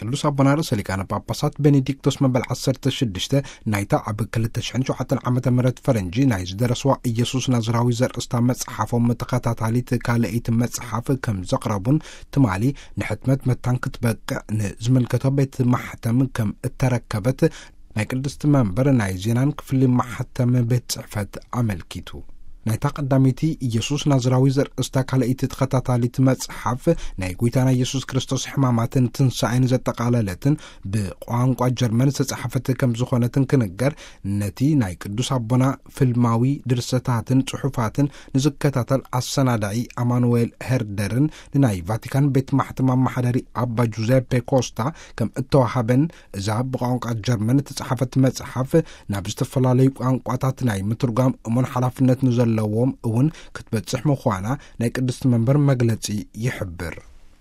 ቅዱስ ኣቦና ርእሰ ሊቃነ ጳጳሳት ቤኔዲክቶስ መበል ዓሰርተ ሽዱሽተ ናይታ ኣብ ክልተ ሽሕን ሸውዓተን ዓመተ ምህረት ፈረንጂ ናይ ዝደረስዋ ኢየሱስ ናዝራዊ ዘርእስታ መጽሓፎም ተኸታታሊት ካልኣይቲ መጽሓፍ ከም ዘቕረቡን ትማሊ ንሕትመት መታን ክትበቅዕ ንዝምልከቶ ቤት ማሕተም ከም እተረከበት ናይ ቅድስቲ መንበር ናይ ዜናን ክፍሊ ማሕተም ቤት ጽሕፈት ኣመልኪቱ። ናይታ ቀዳመይቲ ኢየሱስ ናዝራዊ ዘርእስታ ካልኣይቲ ተኸታታሊት መጽሓፍ ናይ ጐይታና ኢየሱስ ክርስቶስ ሕማማትን ትንሳኤን ዘጠቓለለትን ብቋንቋ ጀርመን ዝተጻሕፈት ከም ዝኾነትን ክንገር፣ ነቲ ናይ ቅዱስ ኣቦና ፍልማዊ ድርሰታትን ጽሑፋትን ንዝከታተል ኣሰናዳኢ ኣማኑኤል ሄርደርን ንናይ ቫቲካን ቤት ማሕተም ኣመሓዳሪ ኣባ ጁዘፔ ኮስታ ከም እተዋሃበን፣ እዛ ብቋንቋ ጀርመን እተጻሕፈት መጽሓፍ ናብ ዝተፈላለዩ ቋንቋታት ናይ ምትርጓም እሙን ሓላፍነት ንዘለዎም እውን ክትበጽሕ ምዃና ናይ ቅድስቲ መንበር መግለጺ ይሕብር።